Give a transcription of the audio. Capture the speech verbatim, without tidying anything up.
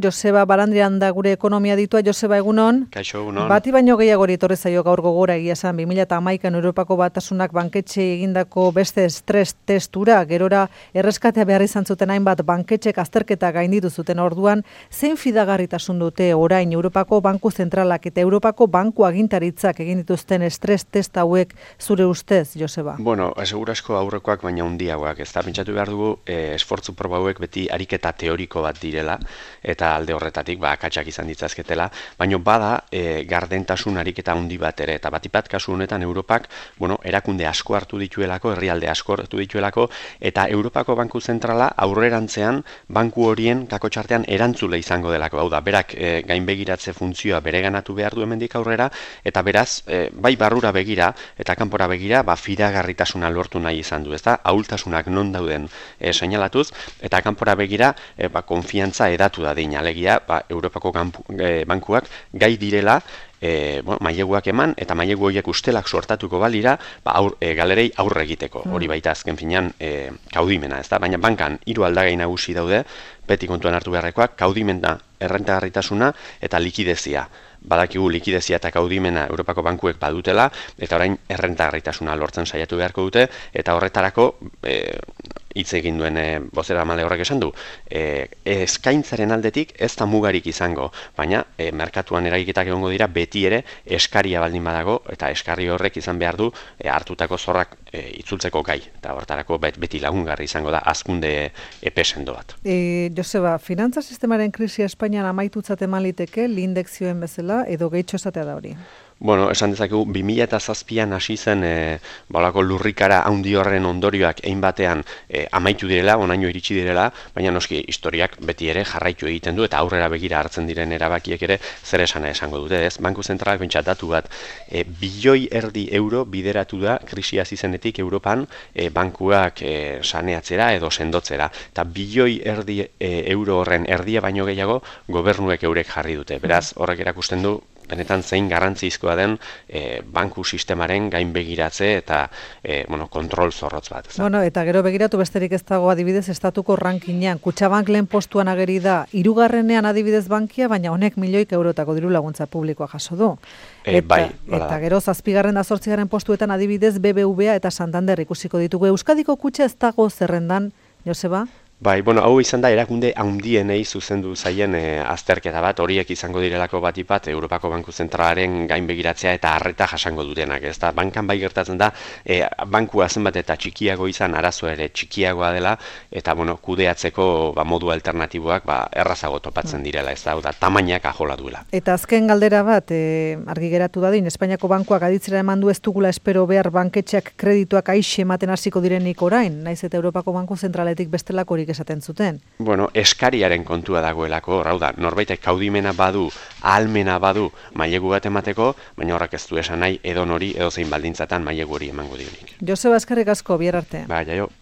Joseba Balandrian da gure ekonomia ditua. Joseba, egunon. Kaixo, egunon. Bati baino gehiagori etorri zaio gaur gogora egia esan bi mila hamaikan Europako Batasunak banketxe egindako beste estres testura, gerora erreskatea behar izan zuten hainbat banketxek azterketa gainditu zuten orduan, zein fidagarritasun dute orain Europako Banku Zentralak eta Europako Banku Agintaritzak egin dituzten estres test hauek zure ustez, Joseba? Bueno, segurasko aurrekoak baina handiagoak, ez da, pentsatu behar dugu, eh, esfortzu proba hauek beti ariketa teoriko bat direla, eta alde horretatik ba akatsak izan ditzazketela, baina bada e, gardentasun ariketa handi bat ere, eta batipat kasu honetan Europak, bueno, erakunde asko hartu dituelako, herrialde asko hartu dituelako, eta Europako Banku Zentrala aurrerantzean banku horien kakotxartean erantzule izango delako, hau da, berak e, gainbegiratze funtzioa bereganatu behar du hemendik aurrera, eta beraz, e, bai barrura begira eta kanpora begira, ba fidagarritasuna lortu nahi izan du, ezta? Ahultasunak non dauden e, seinalatuz, eta kanpora begira, e, ba konfiantza edatu da dina. Alegia, ba, Europako gampu, e, bankuak gai direla e, bueno, maileguak eman eta mailegu horiek ustelak sortatuko balira ba, aur, e, galerei aurre egiteko. Mm. Hori baita azken finean e, kaudimena, ezta? Baina bankan hiru aldagai nagusi daude, beti kontuan hartu beharrekoak, kaudimena, errentagarritasuna eta likidezia. Badakigu likidezia eta kaudimena Europako bankuek badutela, eta orain errentagarritasuna lortzen saiatu beharko dute, eta horretarako e, hitz egin duen e, bozera male horrek esan du, e, eskaintzaren aldetik ez da mugarik izango, baina e, merkatuan eragiketak egongo dira beti ere eskaria baldin badago, eta eskari horrek izan behar du e, hartutako zorrak e, itzultzeko gai, eta horretarako beti lagungarri izango da hazkunde epe sendo bat. E, Joseba, finantza sistemaren krisia Espainian amaitutzat eman liteke, lindekzioen bezala, edo gehitxo esatea da hori? Bueno, esan dezakegu, bi mila zazpian hasi zen e, balako lurrikara handi horren ondorioak egin batean e, amaitu direla, onaino iritsi direla, baina noski historiak beti ere jarraitu egiten du, eta aurrera begira hartzen diren erabakiek ere zer esana esango dute, ez? Banku Zentralak bentsat datu bat, e, bilioi erdi euro bideratu da krisia zizenetik Europan e, bankuak e, saneatzera edo sendotzera, eta bilioi erdi e, euro horren erdia baino gehiago gobernuek eurek jarri dute, beraz horrek erakusten du benetan zein garrantzizkoa den e, banku sistemaren gainbegiratze eta e, bueno, kontrol zorrotz bat. Ez? Bueno, eta gero begiratu besterik ez dago adibidez estatuko rankinean. Kutxabank lehen postuan ageri da, hirugarrenean adibidez bankia, baina honek milioik eurotako diru laguntza publikoa jaso du. E, eta, bai, eta gero zazpigarren da zortzigarren postuetan adibidez B B V A eta Santander ikusiko ditugu. Euskadiko kutxa ez dago zerrendan, Joseba? Bai, bueno, hau izan da erakunde handienei zuzendu zaien e, azterketa bat, horiek izango direlako batipat Europako Banku Zentralaren gainbegiratzea eta harreta jasango dutenak, ez da, bankan bai gertatzen da, e, bankua zenbat eta txikiago izan, arazoa ere txikiagoa dela, eta, bueno, kudeatzeko ba, modu alternatiboak ba, errazago topatzen direla, ez da, da tamainak ajola duela. Eta azken galdera bat, e, argi geratu dadin, Espainiako bankuak aditzera eman du ez dugula espero behar banketxeak kredituak aixe ematen hasiko direnik orain, naiz eta Europako Banku Zentraletik bestelakorik esaten zuten. Bueno, eskariaren kontua dagoelako, hau da, norbaitek kaudimena badu, ahalmena badu mailegu bat emateko, baina horrek ez du esan nahi edo nori edo zein baldintzatan mailegu hori emango dionik. Joseba, eskerrik asko, bihar arte. Ba, jaio.